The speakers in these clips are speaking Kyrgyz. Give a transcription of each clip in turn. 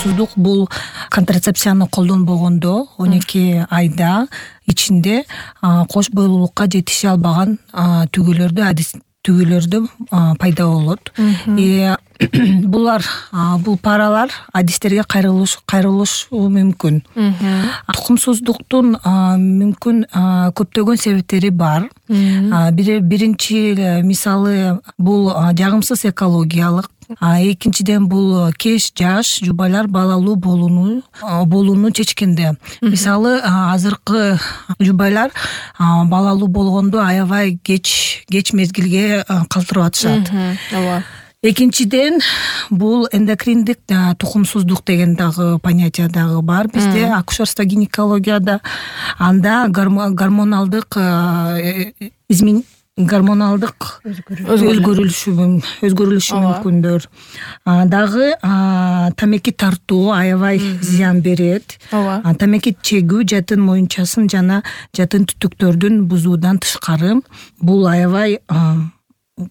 тукумсуздук бул контрацепцияны колдонбогондо 12 айда ичинде кош бойлуулукка жетише албаган түгөлөрдө пайда болот. Бул паралар адистерге кайрылышы мүмкүн. Тукумсуздуктун мүмкүн көптөгөн себептери бар. Биринчи мисалы бул жагымсыз экологиялык. Экинчиден бул кеч жаш жубайлар балалуу болууну чечкенде. Мисалы азыркы жубайлар балалуу болгондо аябай кеч мезгилге калтырып атышат. Экинчиден бул эндокриндик тукумсуздук деген дагы понятие дагы бар бизде акушерство гинекологияда. Анда гормоналдык өзгөрүлүшү мүмкүндөр. Дагы тамеки тартуу аябай зыян берет. Тамеки чегүү жатын моюнчасын жана жатын түтүктөрдүн бузуудан тышкары бул аябай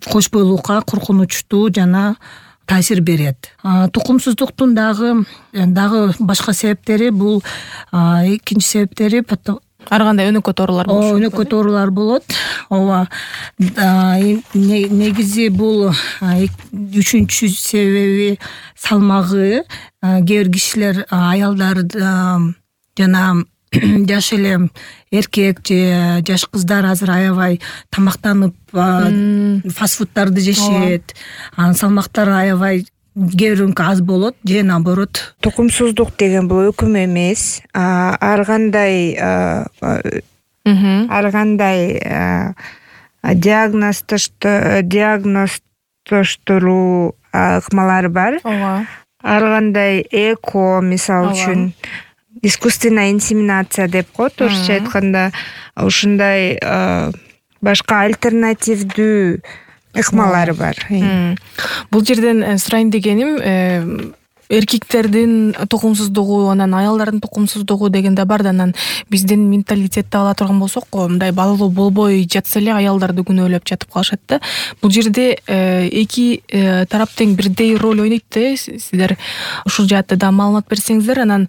кош бойлуулукка коркунучтуу жана таасир берет. Тукумсуздуктун дагы башка себептери бул экинчи себептери ар кандай өнөкөт оорулар болот. Өнөкөт оорулар болот. Ооба. Негизи бул үчүнчү себеби салмагы. Кээ бир кишилер аялдар жана жаш эле эркек же жаш кыздар азыр аябай тамактанып фастфудтарды жешет. Анын салмактары аябай кээ биринки аз болот же наоборот. Тукумсуздук деген бул өкүм эмес. Ар кандай диагноздоштуруу ыкмалары бар. Ар кандай эко, мисалы үчүн искусственная инсеминация деп коет орусча айтканда, ушундай башка альтернативдүү ыкмалары бар. Бул жерден сурайын дегеним, эркектердин тукумсуздугу, анан аялдардын тукумсуздугу дегенде бар да, анан биздин менталитетти ала турган болсок, мындай балалуу болбой жатса эле аялдарды күнөөлөп жатып калышат да. Бул жерде эки тарап тең бирдей роль ойнойт да. Сиздер ушул жаатта да маалымат берсеңиздер. Анан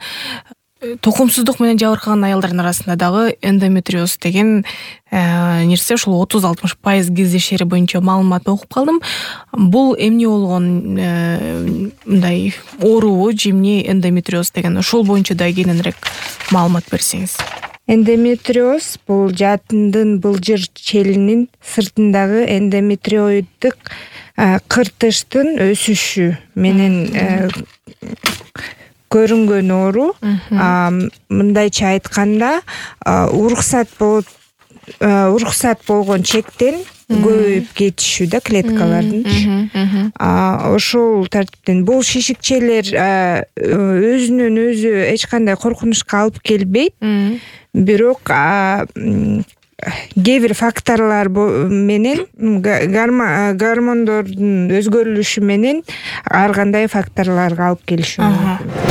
тукумсуздук менен жабыркаган аялдардын арасында дагы эндометриоз деген нерсе ушул 30-60% кездешери боюнча маалымат окуп калдым. Бул эмне болгон мындай оорубу, жемне эндометриоз деген? Ошол боюнча да кененирээк маалымат берсеңиз. Эндометриоз бул жатындын былжыр челинин сыртындагы эндометриоиддик кыртыштын өсүшү менен көрүнгөн оору. Мындайча айтканда, уруксат болгон чектен көбөйүп кетишүү да клеткалардын. Ошол тартиптен бул шишикчелер өзүнөн өзү эч кандай коркунучка алып келбейт. Бирок кээ бир факторлор менен, гормондордун өзгөрүлүшү менен ар кандай факторлорго алып келиши мүмкүн.